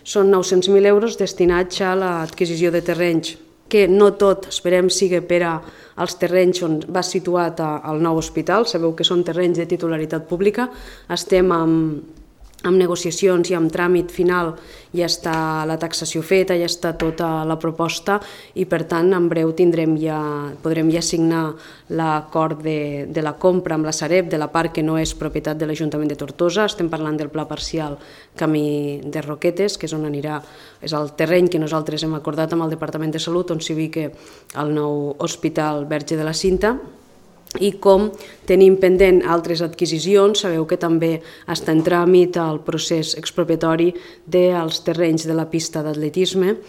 són 900.000 euros destinats a l'adquisició de terrenys, que no tot, esperem, sigui per als terrenys on va situat el nou hospital. Sabeu que són terrenys de titularitat pública. Estem amb negociacions i amb tràmit final, ja està la taxació feta, ja està tota la proposta i per tant en breu podrem ja signar l'acord de la compra amb la Sareb de la part que no és propietat de l'Ajuntament de Tortosa. Estem parlant del pla parcial Camí de Roquetes, que és on anirà, és el terreny que nosaltres hem acordat amb el Departament de Salut, on s'hi ubica el nou Hospital Verge de la Cinta. I com tenim pendent altres adquisicions, sabeu que també està en tràmit el procés expropiatori dels terrenys de la pista d'atletisme